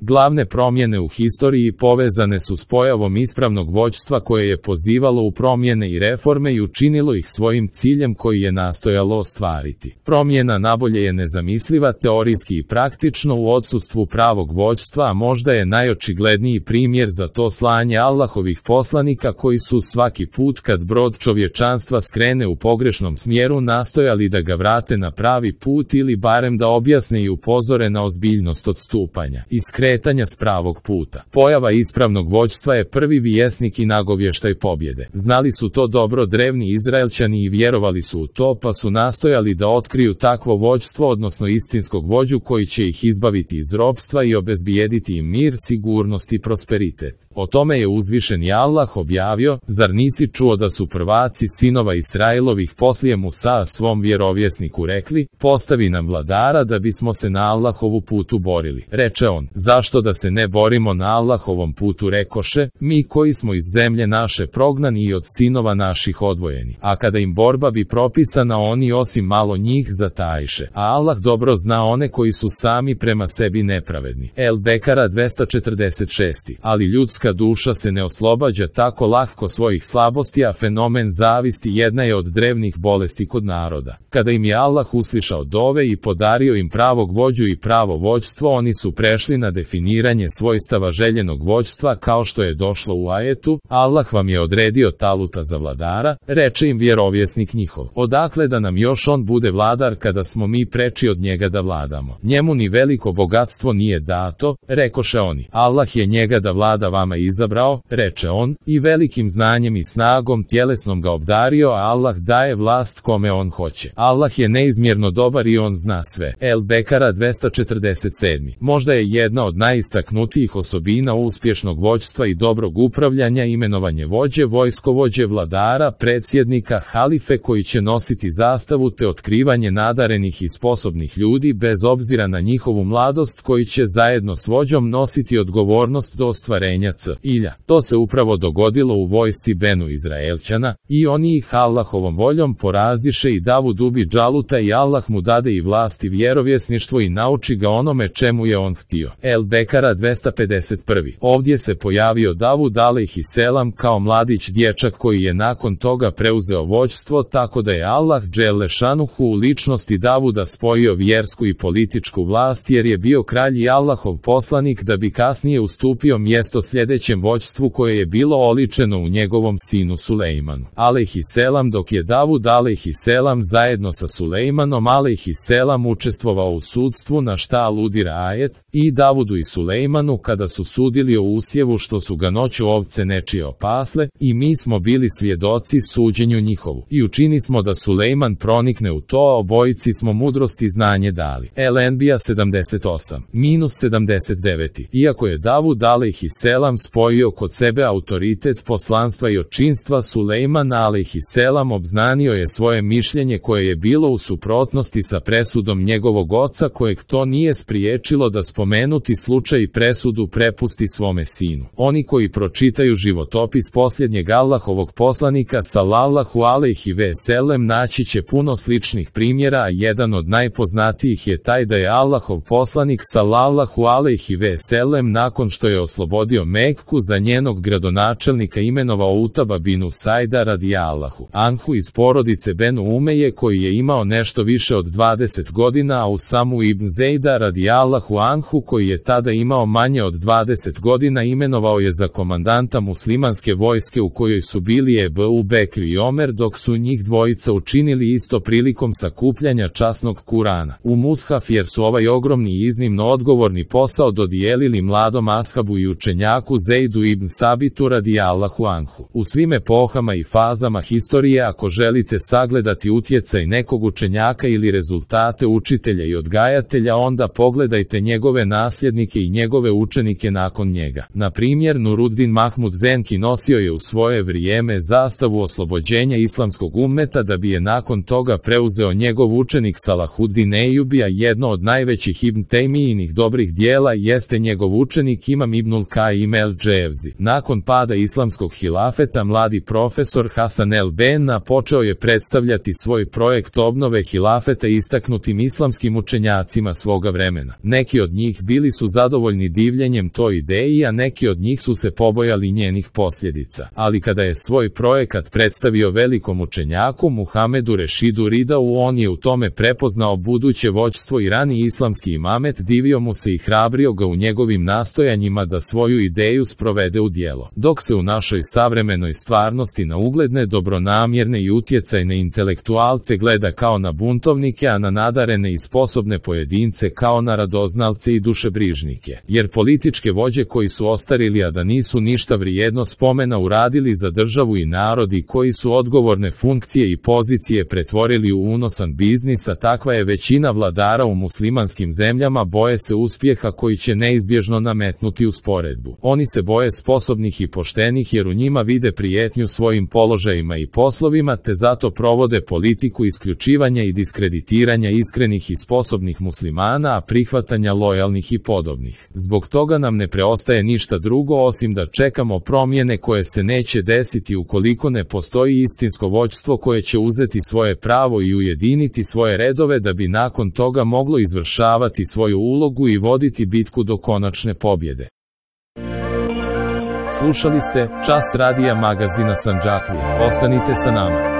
Glavne promjene u historiji povezane su s pojavom ispravnog vođstva koje je pozivalo u promjene i reforme i učinilo ih svojim ciljem koji je nastojalo ostvariti. Promjena nabolje je nezamisliva teorijski i praktično u odsustvu pravog vođstva, a možda je najočigledniji primjer za to slanje Allahovih poslanika koji su svaki put kad brod čovječanstva skrene u pogrešnom smjeru nastojali da ga vrate na pravi put ili barem da objasne i upozore na ozbiljnost odstupanja i skretanja s pravog puta. Pojava ispravnog vođstva je prvi vjesnik i nagovještaj pobjede. Znali su to dobro drevni Izraelčani i vjerovali su u to, pa su nastojali da otkriju takvo vođstvo, odnosno istinskog vođu koji će ih izbaviti iz ropstva i obezbijediti im mir, sigurnost i prosperitet. O tome je uzvišeni Allah objavio: zar nisi čuo da su prvaci sinova Israilovih poslije Musa svom vjerovjesniku rekli, postavi nam vladara da bismo se na Allahovu putu borili. Reče on, zašto da se ne borimo na Allahovom putu, rekoše, mi koji smo iz zemlje naše prognani i od sinova naših odvojeni. A kada im borba bi propisana, oni osim malo njih zatajiše. A Allah dobro zna one koji su sami prema sebi nepravedni. El Bekara 246. Ali ljudska duša se ne oslobađa tako lahko svojih slabosti, a fenomen zavisti jedna je od drevnih bolesti kod naroda. Kada im je Allah uslišao dove i podario im pravog vođu i pravo vođstvo, oni su prešli na definiranje svojstava željenog vođstva kao što je došlo u ajetu: Allah vam je odredio Taluta za vladara, reče im vjerovjesnik njihov. Odakle da nam još on bude vladar kada smo mi preči od njega da vladamo? Njemu ni veliko bogatstvo nije dato, rekoše oni. Allah je njega da vlada vama izabrao, reče on, i velikim znanjem i snagom tjelesnom ga obdario, a Allah daje vlast kome on hoće. Allah je neizmjerno dobar i on zna sve. El Bekara 247. Možda je jedna od najistaknutijih osobina uspješnog vođstva i dobrog upravljanja imenovanje vođe, vojskovođe, vladara, predsjednika, halife koji će nositi zastavu, te otkrivanje nadarenih i sposobnih ljudi bez obzira na njihovu mladost koji će zajedno s vođom nositi odgovornost do ostvarenja cilja. To se upravo dogodilo u vojsci Benu Izraelčana i oni ih Allahovom voljom poraziše i Davud ubi Džaluta i Allah mu dade i vlast i vjerovjesništvo i nauči ga onome čemu je on htio. El Bekara 251. Ovdje se pojavio Davud alejhiselam kao mladić dječak koji je nakon toga preuzeo vođstvo, tako da je Allah dželešanuhu u ličnosti Davuda spojio vjersku i političku vlast jer je bio kralj i Allahov poslanik, da bi kasnije ustupio mjesto sljedećem vođstvu koje je bilo oličeno u njegovom sinu Sulejmanu alejhiselam, dok je Davud alejhiselam zajedno sa Sulejmanom alejhiselam učestvovao u sudstvu, na šta aludira ajet: i Davudu i Sulejmanu kada su sudili o usjevu što su ga noću ovce nečije opasle, i mi smo bili svjedoci suđenju njihovu. I učini smo da Sulejman pronikne u to, a obojici smo mudrost i znanje dali. El Enbija 78-79. Iako je Davud alejhiselam spojio kod sebe autoritet poslanstva i očinstva, Sulejman alejhiselam obznanio je svoje mišljenje koje je bilo u suprotnosti sa presudom njegovog oca, kojeg to nije spriječilo da spomenuti slučaj i presudu prepusti svome sinu. Oni koji pročitaju životopis posljednjeg Allahovog poslanika sallallahu alejhi ve sellem naći će puno sličnih primjera, a jedan od najpoznatijih je taj da je Allahov poslanik sallallahu alejhi ve sellem nakon što je oslobodio Mekku za njenog gradonačelnika imenovao Utaba binu Sajda radijallahu anhu iz porodice Benu Umeje koji je imao nešto više od 20 godina, a Usamu ibn Zejda radijallahu anhu koji je tada imao manje od 20 godina imenovao je za komandanta muslimanske vojske u kojoj su bili Ebu Bekr i Omer, dok su njih dvojica učinili isto prilikom sakupljanja časnog Kurana u mushaf, jer su ovaj ogromni i iznimno odgovorni posao dodijelili mladom ashabu i učenjaku Zejdu ibn Sabitu radijallahu anhu. U svim epohama i fazama historije, ako želite sagledati utjecaj nekog učenjaka ili rezultate učitelja i odgajatelja, onda pogledajte njegove nasljednike i njegove učenike nakon njega. Na primjer, Nuruddin Mahmud Zenki nosio je u svoje vrijeme zastavu oslobođenja islamskog ummeta, da bi je nakon toga preuzeo njegov učenik Salahuddin Ejubi, a jedno od najvećih Ibn Tejmijinih dobrih dijela jeste njegov učenik Imam Ibnul Kaim el Dževzi. Nakon pada islamskog hilafeta, mladi profesor Hasan el Benna počeo je predstavljati svoj projekt obnove hilafeta istaknutim islamskim učenjacima svoga vremena. Neki od njih bili su zadovoljni divljenjem toj ideji, a neki od njih su se pobojali njenih posljedica. Ali kada je svoj projekat predstavio velikom učenjaku Muhamedu Rešidu Ridau, on je u tome prepoznao buduće vođstvo i rani islamski imamet divio mu se i hrabrio ga u njegovim nastojanjima da svoju ideju sprovede u djelo. Dok se u našoj savremenoj stvarnosti na ugledne, dobronamjerne i utjecajne intelektualce gleda kao na buntovnike, a na nadarene i sposobne pojedince kao na radoznalce i dušebrižnike. Jer političke vođe koji su ostarili, a da nisu ništa vrijedno spomena uradili za državu i narod i koji su odgovorne funkcije i pozicije pretvorili u unosan biznis, a takva je većina vladara u muslimanskim zemljama, boje se uspjeha koji će neizbježno nametnuti usporedbu. Oni se boje sposobnih i poštenih jer u njima vide prijetnju svojim položajima i poslovima, te zato provode politiku isključivanja i diskreditiranja iskrenih i sposobnih muslimana, a prihvatanja lojalnih i podobnih. Zbog toga nam ne preostaje ništa drugo osim da čekamo promjene koje se neće desiti ukoliko ne postoji istinsko vođstvo koje će uzeti svoje pravo i ujediniti svoje redove da bi nakon toga moglo izvršavati svoju ulogu i voditi bitku do konačne pobjede. Slušali ste Čas radija magazina Sandžaklija. Ostanite sa nama.